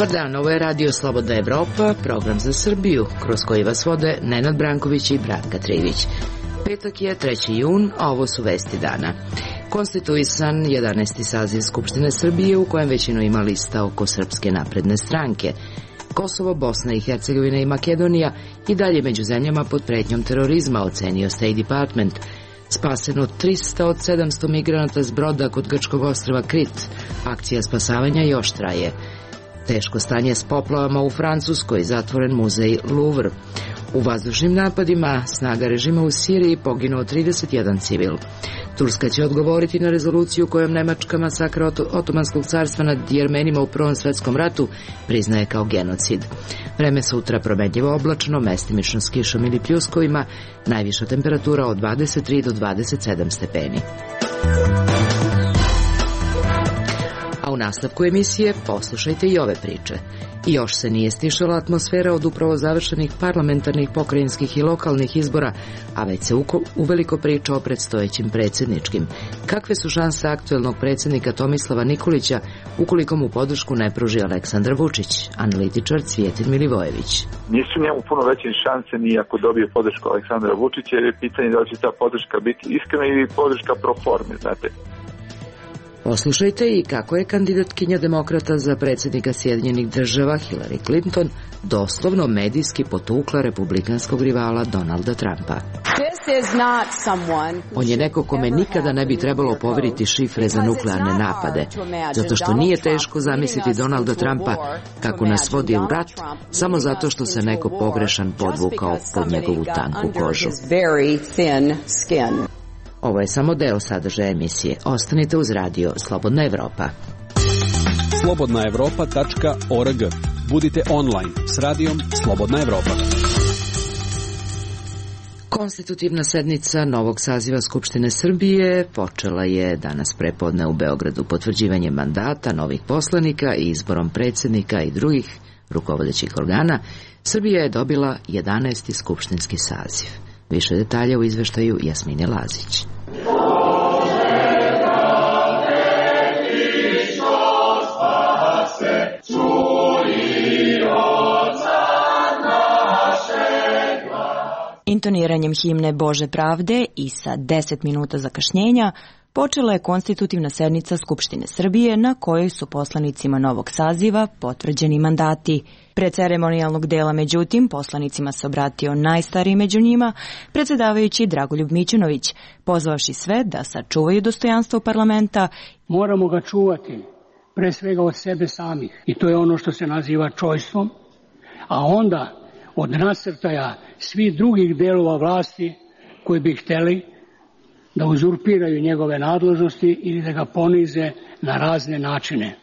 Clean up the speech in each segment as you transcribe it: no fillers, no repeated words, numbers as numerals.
Dobar dan, ovo je Radio Slobodna Evropa, program za Srbiju, kroz koji vas vode Nenad Branković i Branka Trivić. Petak je 3. jun, a ovo su vesti dana. Konstituisan 11. saziv Skupštine Srbije, u kojem većinu ima lista oko Srpske napredne stranke. Kosovo, Bosna i Hercegovina i Makedonija i dalje među zemljama pod pretnjom terorizma, ocenio State Department. Spaseno 300 od 700 migranata s broda kod grčkog ostrva Krit. Akcija spasavanja još traje. Teško stanje s poplavama u Francuskoj, zatvoren muzej Louvre. U vazdušnim napadima snaga režima u Siriji poginuo 31 civil. Turska će odgovoriti na rezoluciju kojom Nemačka masakra Otomanskog carstva nad Jermenima u Prvom svetskom ratu priznaje kao genocid. Vreme sutra promenljivo oblačno, mestimično s kišom ili pljuskovima, najviša temperatura od 23 do 27 stepeni. A u nastavku emisije poslušajte i ove priče. Još se nije stišala atmosfera od upravo završenih parlamentarnih, pokrajinskih i lokalnih izbora, a već se uveliko priča o predstojećim predsjedničkim. Kakve su šanse aktuelnog predsjednika Tomislava Nikolića ukoliko mu podršku ne pruži Aleksandar Vučić? Analitičar Cvijetin Milivojević. Nisu njemu puno veće šanse ni ako dobije podršku Aleksandra Vučića, jer je pitanje da li će ta podrška biti iskrena ili podrška pro forme, znate. Poslušajte i kako je kandidatkinja demokrata za predsjednika Sjedinjenih država Hillary Clinton doslovno medijski potukla republikanskog rivala Donalda Trumpa. On je neko kome nikada ne bi trebalo poveriti šifre za nuklearne napade, zato što nije teško zamisliti Donalda Trumpa kako nas vodi u rat, samo zato što se neko pogrešan podvukao pod njegovu tanku kožu. Ovo je samo deo sadržaja emisije. Ostanite uz radio Slobodna Evropa. slobodnaevropa.org. Budite online s radijom Slobodna Evropa. Konstitutivna sednica novog saziva Skupštine Srbije počela je danas prepodne u Beogradu potvrđivanjem mandata novih poslanika i izborom predsjednika i drugih rukovodećih organa. Srbija je dobila 11. skupštinski saziv. Više detalja u izveštaju Jasmine Lazić. Intoniranjem himne Bože pravde i sa 10 minuta zakašnjenja počela je konstitutivna sednica Skupštine Srbije na kojoj su poslanicima novog saziva potvrđeni mandati. Pre ceremonijalnog dela, međutim, poslanicima se obratio najstariji među njima, predsjedavajući Dragoljub Mićunović, pozvavši sve da sačuvaju dostojanstvo parlamenta. Moramo ga čuvati, pre svega od sebe samih, i to je ono što se naziva čojstvom, a onda od nasrtaja svih drugih delova vlasti koji bi hteli da uzurpiraju njegove nadležnosti ili da ga ponize na razne načine.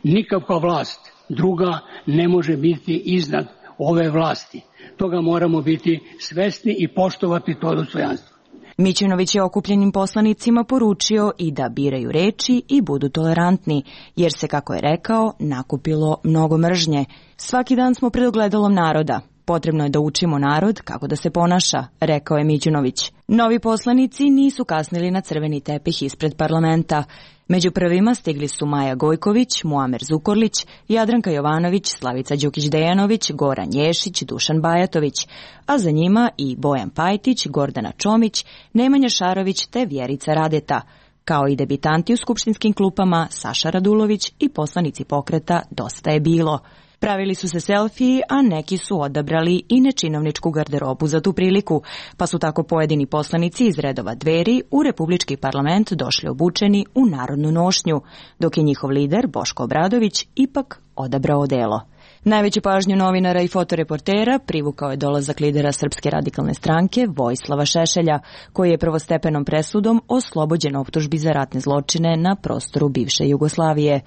Nikakva vlast druga ne može biti iznad ove vlasti. Toga moramo biti svesni i poštovati to dostojanstvo. Mićunović je okupljenim poslanicima poručio i da biraju reči i budu tolerantni, jer se, kako je rekao, nakupilo mnogo mržnje. Svaki dan smo pred ogledalom naroda. Potrebno je da učimo narod kako da se ponaša, rekao je Mićunović. Novi poslanici nisu kasnili na crveni tepih ispred parlamenta. Među prvima stigli su Maja Gojković, Muamer Zukorlić, Jadranka Jovanović, Slavica Đukić-Dejanović, Goran Ješić, Dušan Bajatović, a za njima i Bojan Pajtić, Gordana Čomić, Nemanja Šarović te Vjerica Radeta, kao i debitanti u skupštinskim klupama Saša Radulović i poslanici pokreta Dosta je bilo. Pravili su se selfiji, a neki su odabrali i nečinovničku garderobu za tu priliku, pa su tako pojedini poslanici iz redova Dveri u Republički parlament došli obučeni u narodnu nošnju, dok je njihov lider Boško Obradović ipak odabrao odelo. Najveću pažnju novinara i fotoreportera privukao je dolazak lidera Srpske radikalne stranke Vojislava Šešelja, koji je prvostepenom presudom oslobođen optužbi za ratne zločine na prostoru bivše Jugoslavije.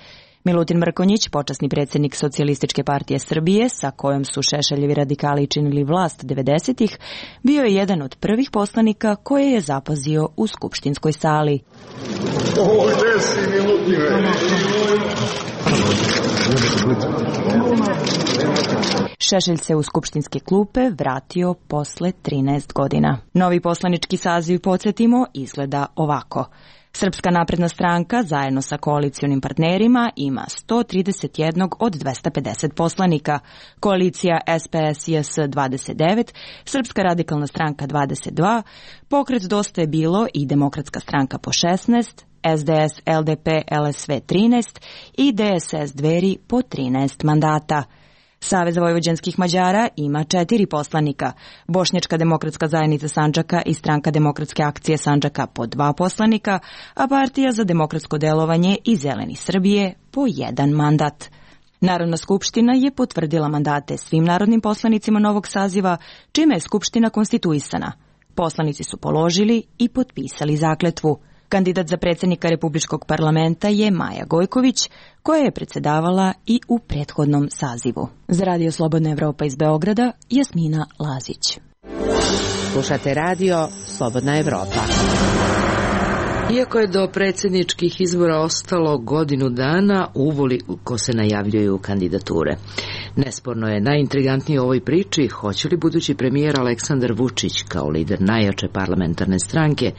Milutin Mrkonjić, počasni predsjednik Socijalističke partije Srbije, sa kojom su Šešeljevi radikali činili vlast 90-ih, bio je jedan od prvih poslanika koje je zapazio u skupštinskoj sali. Ovdje si, Milutine! Šešelj se u skupštinske klupe vratio posle 13 godina. Novi poslanički saziv, podsjetimo, izgleda ovako. Srpska napredna stranka zajedno sa koalicionim partnerima ima 131 od 250 poslanika, koalicija SPS-JS 29, Srpska radikalna stranka 22, Pokret Dosta je bilo i Demokratska stranka po 16, SDS, LDP, LSV 13 i DSS Dveri po 13 mandata. Savez vojvođanskih Mađara ima 4 poslanika, Bošnjačka demokratska zajednica Sandžaka i Stranka demokratske akcije Sandžaka po 2 poslanika, a Partija za demokratsko delovanje i Zeleni Srbije po 1 mandat. Narodna skupština je potvrdila mandate svim narodnim poslanicima novog saziva, čime je skupština konstituisana. Poslanici su položili i potpisali zakletvu. Kandidat za predsjednika Republičkog parlamenta je Maja Gojković, koja je predsjedavala i u prethodnom sazivu. Za Radio Slobodna Evropa iz Beograda, Jasmina Lazić. Slušate radio Slobodna Evropa. Iako je do predsjedničkih izbora ostalo godinu dana, uvoliko se najavljuju kandidature. Nesporno je najintrigantnije u ovoj priči hoće li budući premijer Aleksandar Vučić kao lider najjače parlamentarne stranke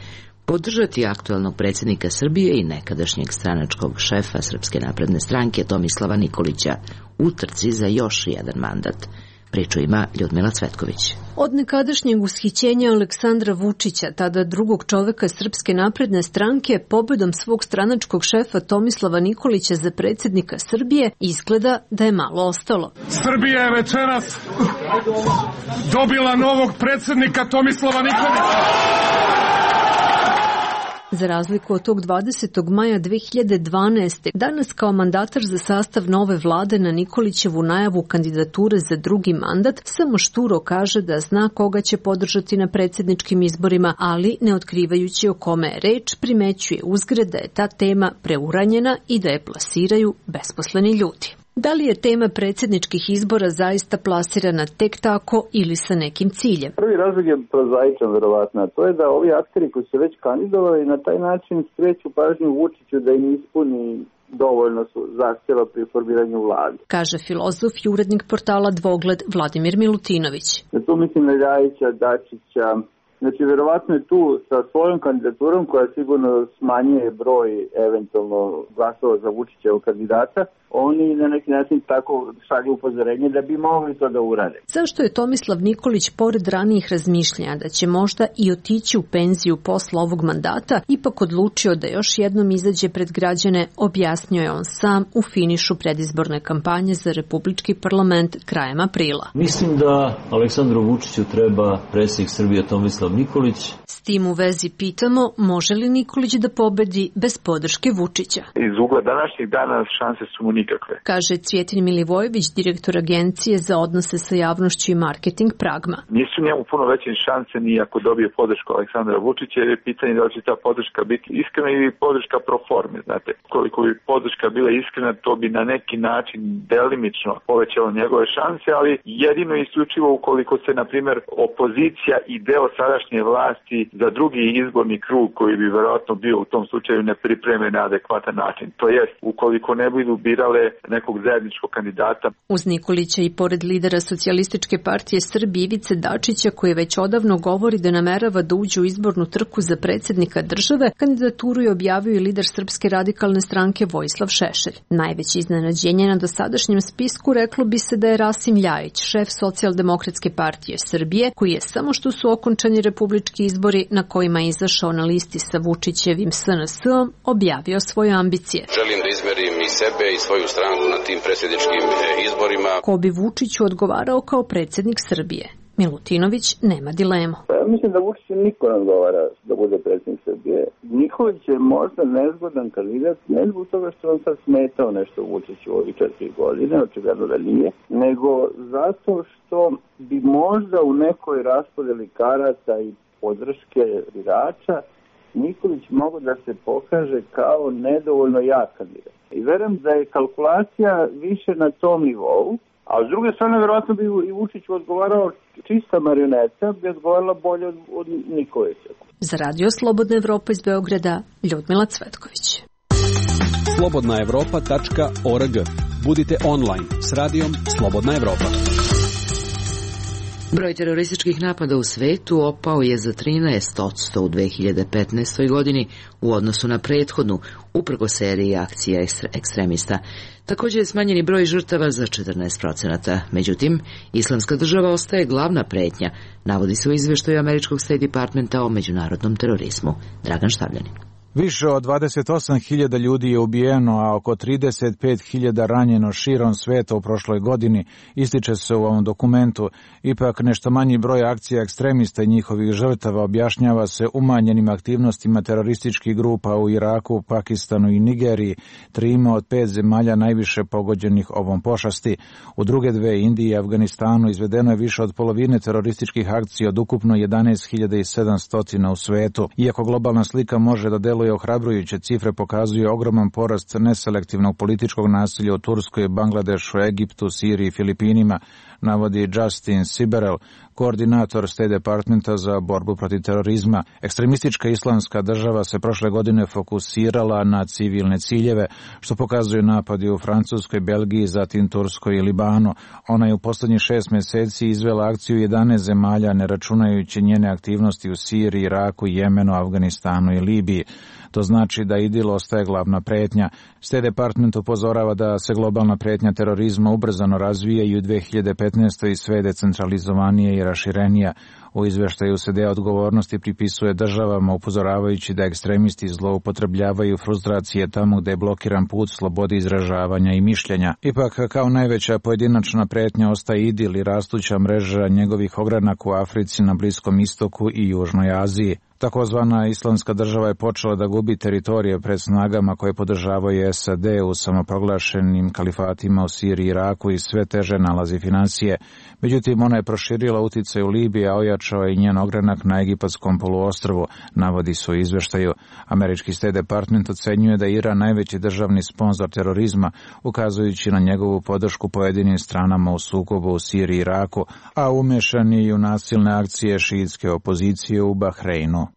podržati aktuelnog predsjednika Srbije i nekadašnjeg stranačkog šefa Srpske napredne stranke Tomislava Nikolića u trci za još jedan mandat. Priču ima Ljudmila Cvetković. Od nekadašnjeg ushićenja Aleksandra Vučića, tada drugog čoveka Srpske napredne stranke, pobedom svog stranačkog šefa Tomislava Nikolića za predsjednika Srbije, izgleda da je malo ostalo. Srbija je večeras dobila novog predsjednika Tomislava Nikolića. Za razliku od tog 20. maja 2012. danas kao mandatar za sastav nove vlade na Nikolićevu najavu kandidature za drugi mandat samo šturo kaže da zna koga će podržati na predsjedničkim izborima, ali ne otkrivajući o kome je reč, primećuje uzgred da je ta tema preuranjena i da je plasiraju besposleni ljudi. Da li je tema predsjedničkih izbora zaista plasirana tek tako ili sa nekim ciljem? Prvi razlog je prozaičan verovatno, to je da ovi akteri koji su već kandidovali na taj način skreću pažnju Vučiću da im ispuni dovoljno su zahtjeva pri formiranju vlade. Kaže filozof i urednik portala Dvogled Vladimir Milutinović. Tu mislim na Ljajića, Dačića. Znači, verovatno je tu sa svojom kandidaturom koja sigurno smanjuje broj eventualno glasova za Vučićevog kandidata, oni na neki način tako šalju upozorenje da bi mogli to da urade. Zašto je Tomislav Nikolić, pored ranijih razmišljanja da će možda i otići u penziju posle ovog mandata, ipak odlučio da još jednom izađe pred građane, objasnio je on sam u finišu predizborne kampanje za Republički parlament krajem aprila. Mislim da Aleksandru Vučiću treba predsjednik Srbije Tomislav Nikolić. S tim u vezi pitamo, može li Nikolić da pobedi bez podrške Vučića? Iz ugla današnjih dana šanse su mu nikakve. Kaže Cvjetin Milivojević, direktor agencije za odnose sa javnošću i marketing Pragma. Nisu njemu puno veće šanse ni ako dobije podršku Aleksandra Vučića, jer je pitanje da li će ta podrška biti iskrena ili podrška pro forme. Znate, koliko bi podrška bila iskrena, to bi na neki način delimično povećalo njegove šanse, ali jedino isključivo ukoliko se, na primjer, opozicija i deo sadašnje vlasti za drugi izborni krug koji bi verovatno bio u tom slučaju ne pripreme na adekvatan način. To jest, ukoliko ne budu birale nekog zajedničkog kandidata. Uz Nikolića i pored lidera Socijalističke partije Srbije Ivice Dačića, koji već odavno govori da namerava da uđe u izbornu trku za predsjednika države, kandidaturu je objavio i lider Srpske radikalne stranke Vojislav Šešelj. Najveće iznenađenje na dosadašnjem spisku reklo bi se da je Rasim Ljajić, šef Socijaldemokratske partije Srbije, koji je samo što su okončani republički izbori na kojima je izašao na listi sa Vučićevim SNS-om, objavio svoje ambicije. Želim da izmerim i sebe i svoju stranku na tim predsjedničkim izborima. Ko bi Vučiću odgovarao kao predsjednik Srbije? Milutinović nema dilemu. Ja mislim da Vučić niko ne odgovara da bude predsjednik Srbije. Nikolić je možda nezgodan kandidat, ne zbog toga što on sad smetao nešto Vučiću ovih 4 godine, očigledno da nije, nego zato što bi možda u nekoj raspodeli karata i podrške birača Nikolić mogu da se pokaže kao nedovoljno jak kandidat. I verujem da je kalkulacija više na tom nivou, a s druge strane verovatno bi i Vučiću odgovarao čista marioneta, bi odgovarala bolje od Nikolića. Za Radio Slobodna Evropa iz Beograda, Ljudmila Cvetković. slobodnaevropa.org. Budite online s radijom Slobodna Evropa. Broj terorističkih napada u svetu opao je za 13% u 2015. godini u odnosu na prethodnu, uprkos seriji akcija ekstremista. Također je smanjeni broj žrtava za 14%. Međutim, Islamska država ostaje glavna pretnja, navodi se u izveštaju američkog State Departmenta o međunarodnom terorizmu. Dragan Štavljanin. Više od 28.000 ljudi je ubijeno, a oko 35.000 ranjeno širom sveta u prošloj godini, ističe se u ovom dokumentu. Ipak nešto manji broj akcija ekstremista i njihovih žrtava objašnjava se umanjenim aktivnostima terorističkih grupa u Iraku, Pakistanu i Nigeriji, 3 od 5 zemalja najviše pogođenih ovom pošasti. U druge dve, Indiji i Afganistanu, izvedeno je više od polovine terorističkih akcija od ukupno 11.700 u svetu. Iako globalna slika može da deluje ohrabrujuće, cifre pokazuju ogroman porast neselektivnog političkog nasilja u Turskoj, Bangladešu, Egiptu, Siriji i Filipinima, navodi Justin Siberel, koordinator State Departmenta za borbu protiv terorizma. Ekstremistička islamska država se prošle godine fokusirala na civilne ciljeve, što pokazuju napadi u Francuskoj, Belgiji, zatim Turskoj i Libanu. Ona je u poslednjih 6 meseci izvela akciju 11 zemalja, ne računajući njene aktivnosti u Siriji, Iraku, Jemenu, Afganistanu i Libiji. To znači da IDIL ostaje glavna pretnja. State Department upozorava da se globalna pretnja terorizma ubrzano razvija i u 2015. i sve decentralizovanije i raširenija. U izveštaju se deo odgovornosti pripisuje državama, upozoravajući da ekstremisti zloupotrebljavaju frustracije tamo gde je blokiran put slobodi izražavanja i mišljenja. Ipak, kao najveća pojedinačna pretnja ostaje IDIL i rastuća mreža njegovih ogranaka u Africi, na Bliskom istoku i Južnoj Aziji. Takozvana islamska država je počela da gubi teritorije pred snagama koje podržavaju SAD u samoproglašenim kalifatima u Siriji i Iraku i sve teže nalazi financije. Međutim, ona je proširila uticaj u Libiji, a ojačao je i njen ogranak na Egipatskom poluostrvu, navodi se u izveštaju. Američki State Department ocenjuje da je Iran najveći državni sponzor terorizma, ukazujući na njegovu podršku pojedinim stranama u sukobu u Siriji i Iraku, a umešan je i u nasilne akcije šiitske opozicije u Bahreinu.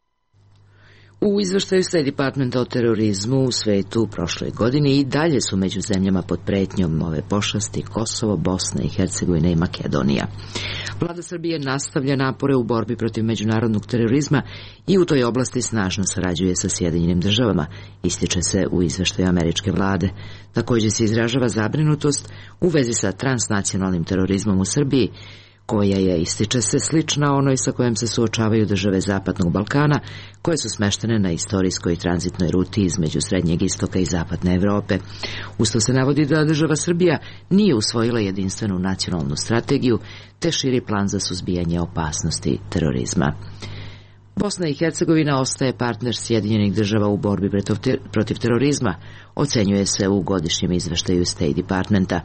U izveštaju State Departmenta o terorizmu u svetu u prošloj godini i dalje su među zemljama pod pretnjom ove pošasti Kosovo, Bosna i Hercegovina i Makedonija. Vlada Srbije nastavlja napore u borbi protiv međunarodnog terorizma i u toj oblasti snažno sarađuje sa Sjedinjenim državama, ističe se u izveštaju američke vlade. Također se izražava zabrinutost u vezi sa transnacionalnim terorizmom u Srbiji, koja je, ističe se, slična onoj sa kojom se suočavaju države Zapadnog Balkana, koje su smeštene na istorijskoj tranzitnoj ruti između Srednjeg istoka i Zapadne Evrope. Uz to se navodi da država Srbija nije usvojila jedinstvenu nacionalnu strategiju, te širi plan za suzbijanje opasnosti terorizma. Bosna i Hercegovina ostaje partner Sjedinjenih država u borbi protiv terorizma, ocenjuje se u godišnjem izveštaju State Departmenta.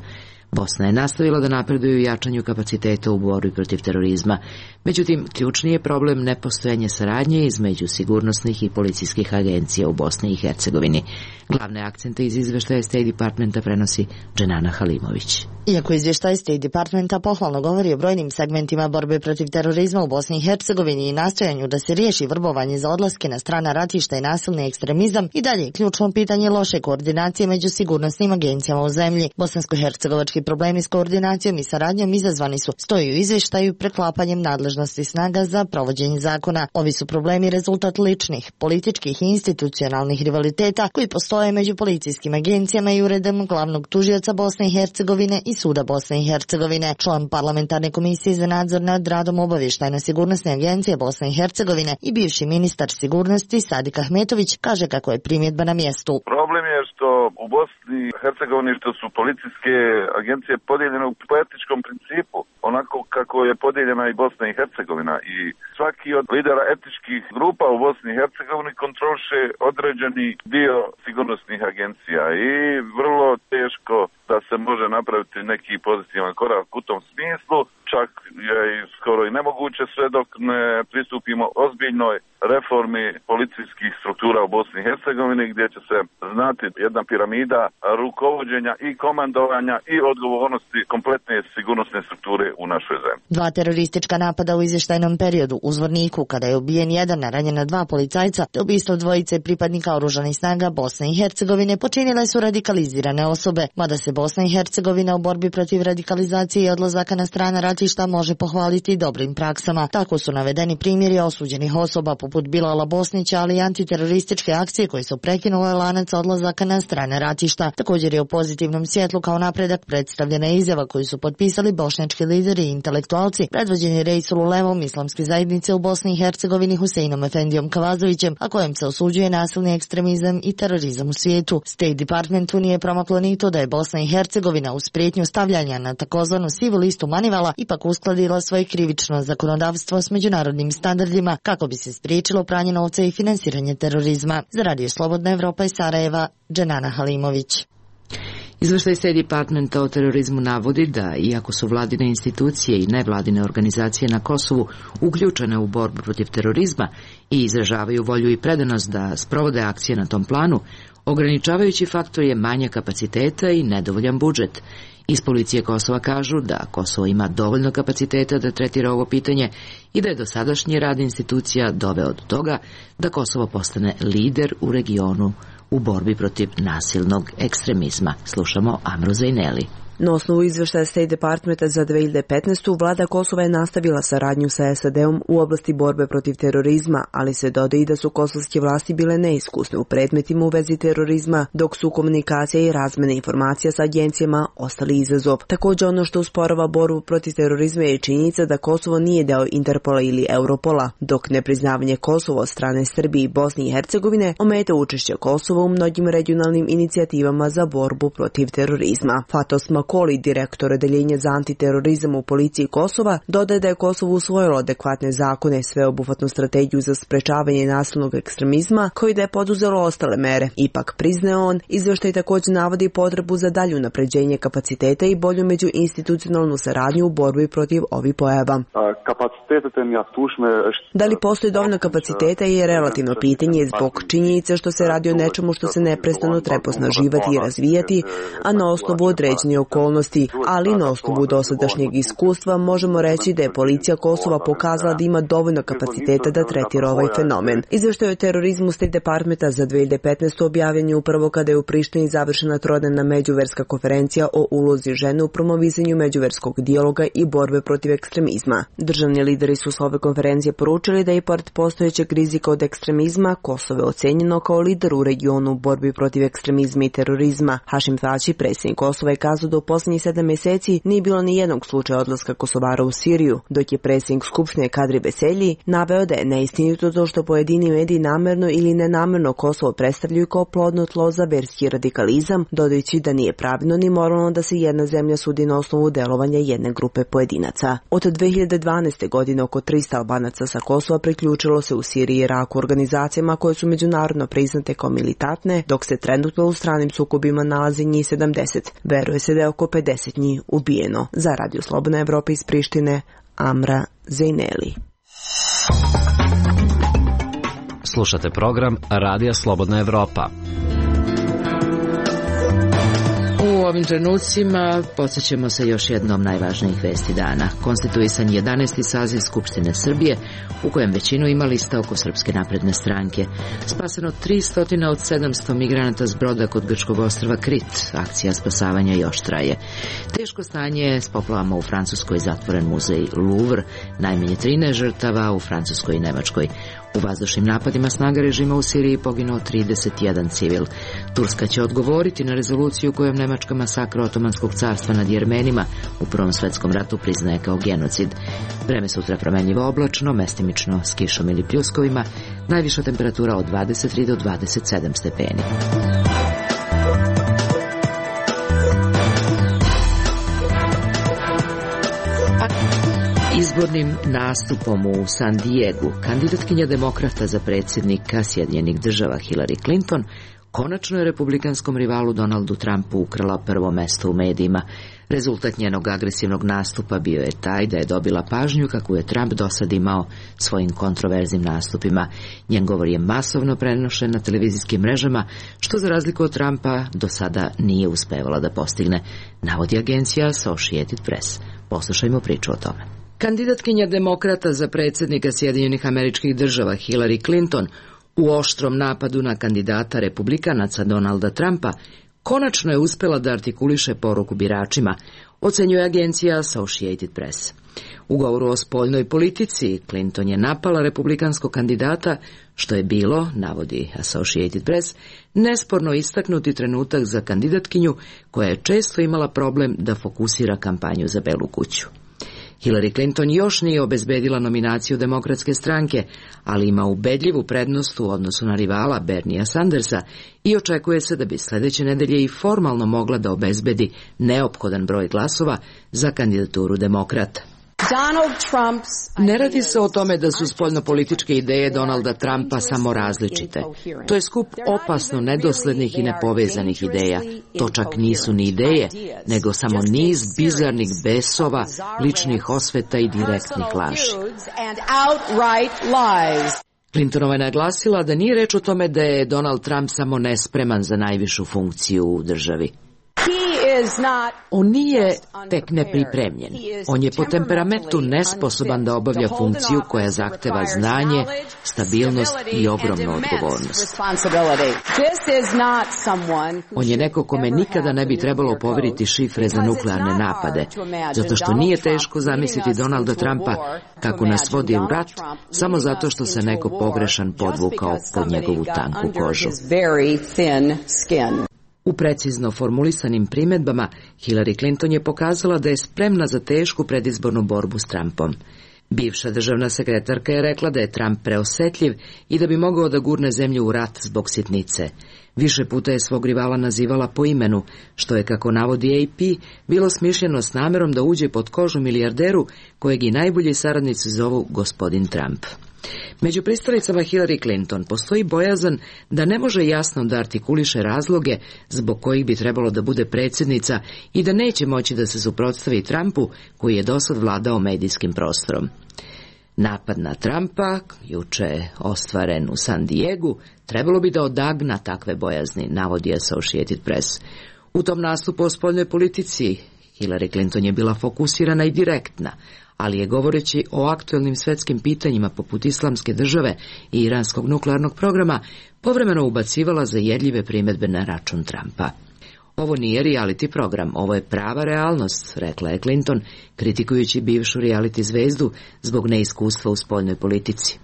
Bosna je nastavila da napreduje u jačanju kapaciteta u borbi protiv terorizma. Međutim, ključni je problem nepostojanje saradnje između sigurnosnih i policijskih agencija u Bosni i Hercegovini. Glavne akcente iz izveštaja State Departmenta prenosi Dženana Halimović. Iako izvještaj State Departmenta pohvalno govori o brojnim segmentima borbe protiv terorizma u Bosni i Hercegovini i nastojanju da se riješi vrbovanje za odlaske na strana ratišta i nasilni ekstremizam, i dalje je ključno pitanje loše koordinacije među sigurnosnim agencijama u zemlji. Bosansko-hercegovački problemi s koordinacijom i saradnjom izazvani su, stoji u izvještaju, preklapanjem nadležnosti snaga za provođenje zakona. Ovi su problemi rezultat ličnih, političkih i institucionalnih rivaliteta koji postoje među policijskim agencijama i uredom glavnog tužioca Bosne i Hercegovine i Suda Bosne i Hercegovine. Član parlamentarne komisije za nadzor nad radom obavještajno-sigurnosne agencije Bosne i Hercegovine i bivši ministar sigurnosti Sadik Ahmetović kaže kako je primjedba na mjestu. Problem je što u Bosni i Hercegovini što su policijske agencije podijeljene u etičkom principu, onako kako je podijeljena i Bosna i Hercegovina, i svaki od lidera etičkih grupa u Bosni i Hercegovini kontroliše određeni dio sigurnosnih agencija i vrlo teško da se može napraviti neki pozitivan korak u tom smislu, čak je skoro i nemoguće sve dok ne pristupimo ozbiljnoj reformi policijskih struktura u Bosni i Hercegovini, gdje će se znati jedna piramida rukovođenja i komandovanja i odgovornosti kompletne sigurnosne strukture u našoj zemlji. 2 teroristička napada u izvještajnom periodu u Zvorniku, kada je ubijen 1, a ranjena 2 policajca, te ubistvo 2 pripadnika oružanih snaga Bosne i Hercegovine počinile su radikalizirane osobe, mada se Bosna i Hercegovina u borbi protiv radikalizacije i odlazaka na strana ratišta može pohvaliti ili dobrim praksama. Tako su navedeni primjeri osuđenih osoba poput Bilala Bosnića, ali i antiterorističke akcije koje su prekinule lanac odlazaka na strane ratišta. Također je u pozitivnom svjetlu kao napredak predstavljena izjava koju su potpisali bošnjački lideri i intelektualci, predvođeni Reisul-Ulemom islamske zajednice u Bosni i Hercegovini Huseinom Efendijom Kavazovićem, a kojem se osuđuje nasilni ekstremizam i terorizam u svijetu. State Departmentu nije promaklo ni to da je Bosna i Hercegovina uz prijetnju stavljanja na takozvanu sivu listu Manivala ipak uskladila svoje krivično zakonodavstvo s međunarodnim standardima kako bi se spriječilo pranje novca i finansiranje terorizma. Za Radio Slobodna Evropa iz Sarajeva, Dženana Halimović. Izveštaj State Departmenta o terorizmu navodi da, iako su vladine institucije i nevladine organizacije na Kosovu uključene u borbu protiv terorizma i izražavaju volju i predanost da sprovode akcije na tom planu, ograničavajući faktor je manja kapaciteta i nedovoljan budžet. Iz policije Kosova kažu da Kosovo ima dovoljno kapaciteta da tretira ovo pitanje i da je dosadašnji rad institucija doveo do toga da Kosovo postane lider u regionu u borbi protiv nasilnog ekstremizma. Slušamo Amru Zajneli. Na osnovu izveštaja State Departmenta za 2015. vlada Kosova je nastavila saradnju sa SAD-om u oblasti borbe protiv terorizma, ali se dodaje i da su kosovske vlasti bile neiskusne u predmetima u vezi terorizma, dok su komunikacija i razmene informacija sa agencijama ostali izazov. Također ono što usporava borbu protiv terorizma je činjenica da Kosovo nije deo Interpola ili Europola, dok nepriznavanje Kosova od strane Srbije i Bosne i Hercegovine ometa učešće Kosova u mnogim regionalnim inicijativama za borbu protiv terorizma. Fatos Makoli, direktor odeljenja za antiterorizam u policiji Kosova, dodaje da je Kosovo usvojilo adekvatne zakone, sveobuhvatnu strategiju za sprečavanje nasilnog ekstremizma, koji da je poduzelo ostale mere. Ipak, priznaje on, izveštaj također navodi potrebu za dalje unapređenje kapaciteta i bolju međuinstitucionalnu saradnju u borbi protiv ovih pojava. Da li postoji dovoljno kapaciteta je relativno pitanje zbog činjenice što se radi o nečemu što se neprestano treba osnaživati i razvijati, a na osnovu određenih okolnosti, ali na osnovu dosadašnjeg iskustva možemo reći da je policija Kosova pokazala da ima dovoljno kapaciteta da tretira ovaj fenomen. Izveštaj o terorizmu State Departmenta za 2015. objavljen je upravo kada je u Prištini završena trodnevna međuverska konferencija o ulozi žene u promovisanju međuverskog dijaloga i borbe protiv ekstremizma. Državni lideri su s ove konferencije poručili da je pored postojećeg rizika od ekstremizma Kosovo je ocenjeno kao lider u regionu u borbi protiv ekstremizma i terorizma. Hašim Tači, predsjednik Kosova, je kazao da u posljednjih 7 mjeseci nije bilo ni jednog slučaja odlaska Kosovara u Siriju, dok je predsjednik Skupštine Kadri Beselji naveo da je neistinito to što pojedini mediji namerno ili nenamerno Kosovo predstavljaju kao plodno tlo za verski radikalizam, dodajući da nije pravilno ni moralno da se jedna zemlja sudi na osnovu delovanja jedne grupe pojedinaca. Od 2012. godine oko 300 Albanaca sa Kosova priključilo se u Siriji i Iraku organizacijama koje su međunarodno priznate kao militantne, dok se trenutno u stranim sukobima nalazi njih 70. Veruje se da je oko 50 njih ubijeno. Za Radio Slobodna Evropa iz Prištine, Amra Zajneli. Slušate program Radija Slobodna Evropa. U ovim trenucima podsjećamo se još jednom najvažnijih vesti dana. Konstituisan 11. saziv Skupštine Srbije, u kojem većinu ima lista oko Srpske napredne stranke. Spaseno 300 od 700 migranata s broda kod grčkog ostrva Krit. Akcija spasavanja još traje. Teško stanje s poplavama u Francuskoj, zatvoren muzej Louvre, najmanje 13 žrtava u Francuskoj i Nemačkoj. U vazdušnim napadima snaga režima u Siriji poginuo 31 civil. Turska će odgovoriti na rezoluciju kojom Nemačka masakra Otomanskog carstva nad Jermenima u Prvom svetskom ratu priznaje kao genocid. Vreme sutra promenljivo oblačno, mestimično s kišom ili pljuskovima, najviša temperatura od 23 do 27 stepeni. Izbornim nastupom u San Diegu kandidatkinja demokrata za predsjednika Sjedinjenih država Hillary Clinton konačno je republikanskom rivalu Donaldu Trumpu ukrala prvo mesto u medijima. Rezultat njenog agresivnog nastupa bio je taj da je dobila pažnju kakvu je Trump dosad imao svojim kontroverznim nastupima. Njen govor je masovno prenošen na televizijskim mrežama, što za razliku od Trumpa do sada nije uspevala da postigne, navodi agencija Associated Press. Poslušajmo priču o tome. Kandidatkinja demokrata za predsjednika Sjedinjenih Američkih Država Hillary Clinton u oštrom napadu na kandidata republikanaca Donalda Trumpa konačno je uspela da artikuliše poruku biračima, ocenjuje agencija Associated Press. U govoru o spoljnoj politici Clinton je napala republikanskog kandidata, što je bilo, navodi Associated Press, nesporno istaknuti trenutak za kandidatkinju koja je često imala problem da fokusira kampanju za Belu kuću. Hillary Clinton još nije obezbedila nominaciju Demokratske stranke, ali ima ubedljivu prednost u odnosu na rivala Berniea Sandersa i očekuje se da bi sledeće nedelje i formalno mogla da obezbedi neophodan broj glasova za kandidaturu demokrata. Ne radi se o tome da su spoljnopolitičke ideje Donalda Trumpa samo različite. To je skup opasno nedoslednih i nepovezanih ideja. To čak nisu ni ideje, nego samo niz bizarnih besova, ličnih osveta i direktnih laži. Clintonova je naglasila da nije reč o tome da je Donald Trump samo nespreman za najvišu funkciju u državi. On nije tek nepripremljen. On je po temperamentu nesposoban da obavlja funkciju koja zahteva znanje, stabilnost i ogromnu odgovornost. On je neko kome nikada ne bi trebalo poveriti šifre za nuklearne napade, zato što nije teško zamisliti Donalda Trumpa kako nas vodi u rat, samo zato što se neko pogrešan podvukao pod njegovu tanku kožu. U precizno formulisanim primedbama, Hillary Clinton je pokazala da je spremna za tešku predizbornu borbu s Trumpom. Bivša državna sekretarka je rekla da je Trump preosetljiv i da bi mogao da gurne zemlju u rat zbog sitnice. Više puta je svog rivala nazivala po imenu, što je, kako navodi AP, bilo smišljeno s namerom da uđe pod kožu milijarderu kojeg i najbolji saradnici zovu gospodin Trump. Među pristalicama Hillary Clinton postoji bojazan da ne može jasno da artikuliše razloge zbog kojih bi trebalo da bude predsjednica i da neće moći da se suprotstavi Trumpu koji je dosad vladao medijskim prostorom. Napad na Trumpa, juče ostvaren u San Diegu, trebalo bi da odagna takve bojazni, navodi Associated Press. U tom nastupu o spoljnoj politici Hillary Clinton je bila fokusirana i direktna, ali je, govoreći o aktuelnim svetskim pitanjima poput Islamske države i iranskog nuklearnog programa, povremeno ubacivala zajedljive primedbe na račun Trumpa. Ovo nije reality program, ovo je prava realnost, rekla je Clinton, kritikujući bivšu reality zvezdu zbog neiskustva u spoljnoj politici.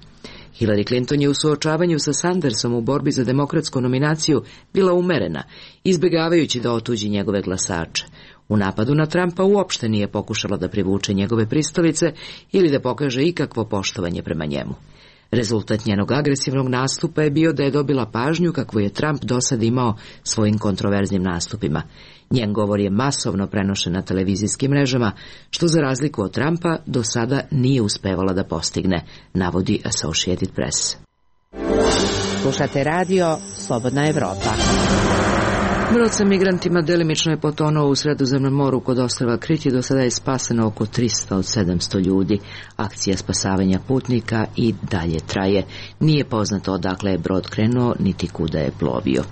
Hillary Clinton je u suočavanju sa Sandersom u borbi za demokratsku nominaciju bila umerena, izbjegavajući da otuđi njegove glasače. U napadu na Trumpa uopšte nije pokušala da privuče njegove pristalice ili da pokaže ikakvo poštovanje prema njemu. Rezultat njenog agresivnog nastupa je bio da je dobila pažnju kakvu je Trump dosad imao svojim kontroverznim nastupima. Njen govor je masovno prenošen na televizijskim mrežama, što za razliku od Trumpa do sada nije uspevala da postigne, navodi Associated Press. Slušate radio Slobodna Evropa. Brod sa migrantima delimično je potonuo u Sredozemnom moru kod ostrva Kriti. Do sada je spaseno oko 300 od 700 ljudi. Akcija spasavanja putnika i dalje traje. Nije poznato odakle je brod krenuo, niti kuda je plovio.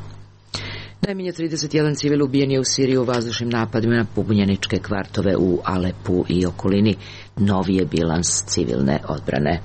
Najmanje 31 civil ubijen je u Siriji u vazdušnim napadima na pobunjeničke kvartove u Alepu i okolini. Novi je bilans civilne odbrane.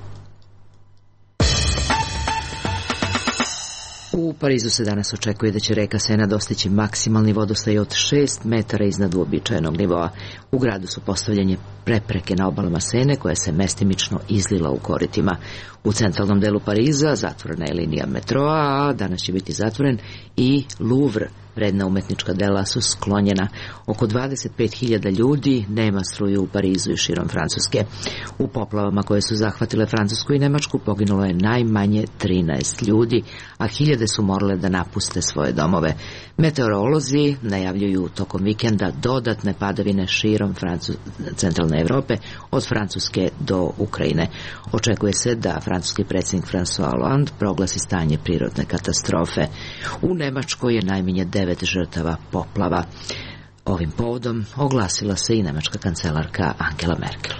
U Parizu se danas očekuje da će reka Sena dostići maksimalni vodostaj od 6 metara iznad uobičajenog nivoa. U gradu su postavljene prepreke na obalama Sene koja se mestimično izlila u koritima. U centralnom delu Pariza zatvorena je linija metroa, a danas će biti zatvoren i Louvre. Vredna umetnička dela su sklonjena. Oko 25.000 ljudi nema struju u Parizu i širom Francuske. U poplavama koje su zahvatile Francusku i Nemačku poginulo je najmanje 13 ljudi, a hiljade su morale da napuste svoje domove. Meteorolozi najavljuju tokom vikenda dodatne padavine širom centralne Evrope, od Francuske do Ukrajine. Očekuje se da francuski predsjednik François Hollande proglasi stanje prirodne katastrofe. U Nemačkoj je najmanje 9 žrtava poplava. Ovim povodom oglasila se i nemačka kancelarka Angela Merkel.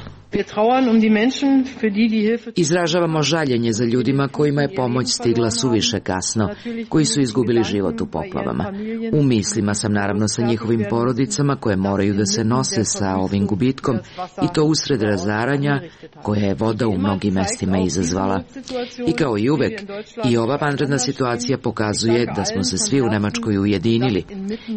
Izražavamo žaljenje za ljudima kojima je pomoć stigla suviše kasno, koji su izgubili život u poplavama. U mislima sam naravno sa njihovim porodicama koje moraju da se nose sa ovim gubitkom i to usred razaranja koje je voda u mnogim mestima izazvala. I kao i uvek, i ova vanredna situacija pokazuje da smo se svi u Nemačkoj ujedinili.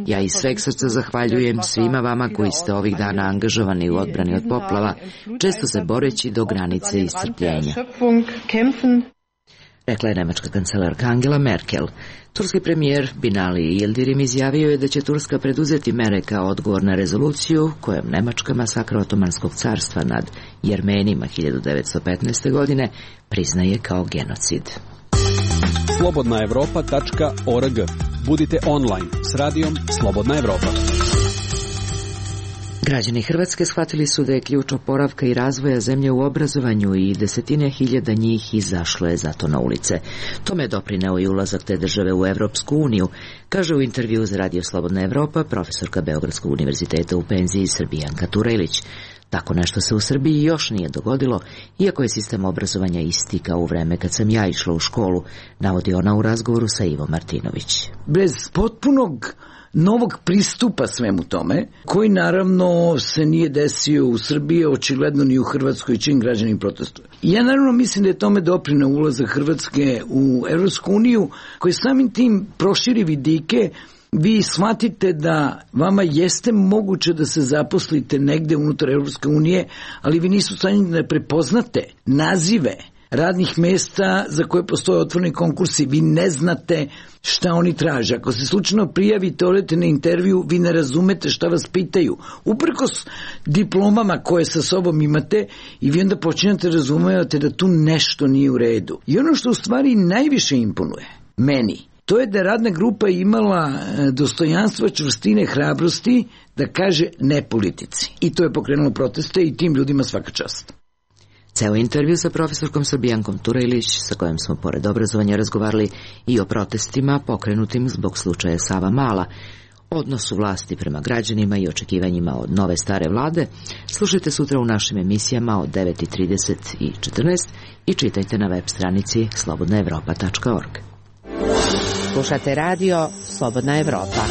Ja iz sveg srca zahvaljujem svima vama koji ste ovih dana angažovani u odbrani od poplava, često se boreći do granice iscrpljenja. Rekla je nemačka kancelarka Angela Merkel. Turski premijer Binali Yildirim izjavio je da će Turska preduzeti mere kao odgovor na rezoluciju kojom Nemačka masakra Otomanskog carstva nad Jermenima 1915. godine priznaje kao genocid. slobodnaevropa.org. Budite online s radijom Slobodna Evropa. Građani Hrvatske shvatili su da je ključ oporavka i razvoja zemlje u obrazovanju i desetine hiljada njih izašlo je zato na ulice. Tome je doprineo i ulazak te države u Evropsku uniju, kaže u intervju za Radio Slobodna Evropa profesorka Beogradskog univerziteta u penziji Srbijanka Turelić. Tako nešto se u Srbiji još nije dogodilo, iako je sistem obrazovanja isti kao u vreme kad sam ja išla u školu, navodi ona u razgovoru sa Ivo Martinović. Bez potpunog novog pristupa svemu tome, koji naravno se nije desio u Srbiji, očigledno ni u Hrvatskoj, čim građani protestuju. Ja naravno mislim da je tome doprineo ulazak Hrvatske u Evropsku uniju, koji samim tim proširi vidike. Vi shvatite da vama jeste moguće da se zaposlite negde unutar Evropske unije, ali vi nisu stanjeni da prepoznate nazive radnih mesta za koje postoje otvoreni konkursi. Vi ne znate šta oni traže. Ako se slučajno prijavite, odete na intervju, vi ne razumete šta vas pitaju. Uprkos diplomama koje sa sobom imate, i vi onda počinjate razumevate da tu nešto nije u redu. I ono što u stvari najviše imponuje meni, to je da je radna grupa imala dostojanstva, čvrstine, hrabrosti da kaže ne politici. I to je pokrenulo proteste i tim ljudima svaka čast. Ceo intervju sa profesorkom Srbijankom Turelić, sa kojom smo pored obrazovanja razgovarali i o protestima pokrenutim zbog slučaja Sava Mala, odnosu vlasti prema građanima i očekivanjima od nove stare vlade, slušajte sutra u našim emisijama od 9:30 i 14 i čitajte na web stranici slobodnaevropa.org. Slušate radio Slobodna Evropa.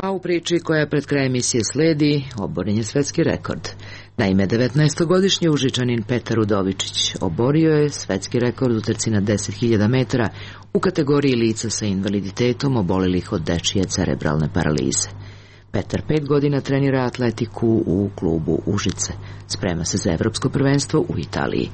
A u priči koja pred kraj emisije sledi, oboren je svetski rekord. Naime, 19-godišnji Užičanin Petar Udovičić oborio je svetski rekord u trci na 10.000 metara u kategoriji lica sa invaliditetom obolelih od dečije cerebralne paralize. Petar 5 godina trenira atletiku u klubu Užice. Sprema se za evropsko prvenstvo u Italiji.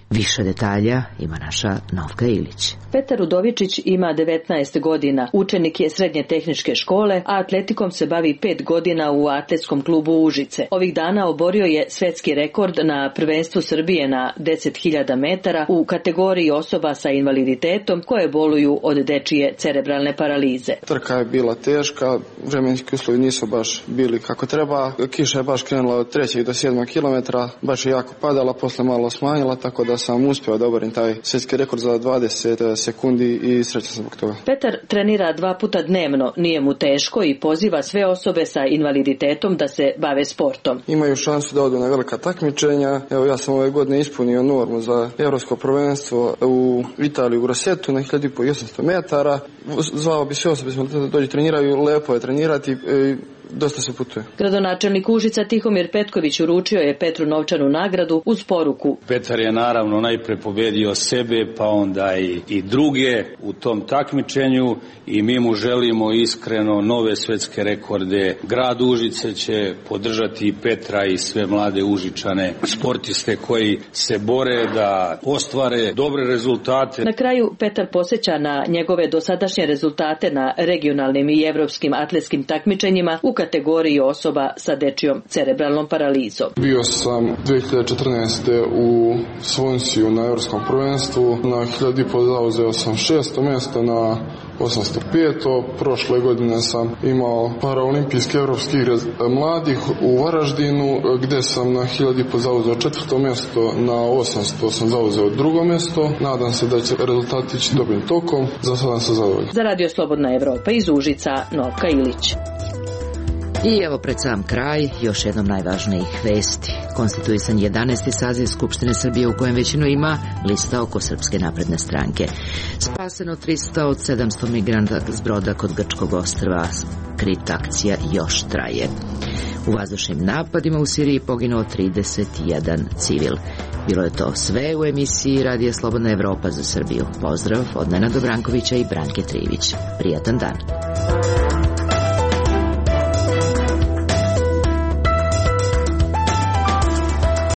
Više detalja ima naša Novka Ilić. Petar Udovičić ima 19 godina, učenik je srednje tehničke škole, a atletikom se bavi 5 godina u atletskom klubu Užice. Ovih dana oborio je svetski rekord na prvenstvu Srbije na 10.000 metara u kategoriji osoba sa invaliditetom koje boluju od dečije cerebralne paralize. Trka je bila teška, vremenski uslovi nisu baš bili kako treba. Kiša je baš krenula od 3. do 7. kilometra, baš je jako padala, posle malo smanjila, tako da sam uspio da oborim taj svjetski rekord za 20 sekundi i srećan sam zbog toga. Petar trenira 2 puta dnevno, nije mu teško i poziva sve osobe sa invaliditetom da se bave sportom. Imaju šansu da odu na velika takmičenja. Evo, ja sam ove godine ispunio normu za evropsko prvenstvo u Italiji u Grossetu na 1500 metara. Zvao bi sve osobe da dođu treniraju, lepo je trenirati. Dosta se putuje. Gradonačelnik Užica Tihomir Petković uručio je Petru novčanu nagradu uz poruku. Petar je naravno najpre pobedio sebe, pa onda i druge u tom takmičenju i mi mu želimo iskreno nove svetske rekorde. Grad Užice će podržati Petra i sve mlade Užičane, sportiste koji se bore da ostvare dobre rezultate. Na kraju Petar podsjeća na njegove dosadašnje rezultate na regionalnim i evropskim atletskim takmičenjima u kategoriji osoba sa dečijom cerebralnom paralizom. Bio sam 2014. u Svonsiju na evropskom prvenstvu. Na 1500 zauzeo sam 6. mjesto, na 805. Prošle godine sam imao paraolimpijske evropske igre mladih u Varaždinu, gde sam na 1500 zauzeo 4. mjesto, na 800 sam zauzeo 2. mjesto. Nadam se da će rezultati ići dobrim tokom. Za sada sam zadovoljan. Za Radio Slobodna Evropa iz Užica, Novka Ilić. I evo pred sam kraj još jednom najvažnijih vesti. Konstituisan 11. saziv Skupštine Srbije u kojem većinu ima lista oko Srpske napredne stranke. Spaseno 300 od 700 migranta s broda kod Grčkog ostrva. Krit akcija još traje. U vazdušnim napadima u Siriji poginuo 31 civil. Bilo je to sve u emisiji Radija Slobodna Evropa za Srbiju. Pozdrav od Nenada Brankovića i Branke Trivić. Prijatan dan.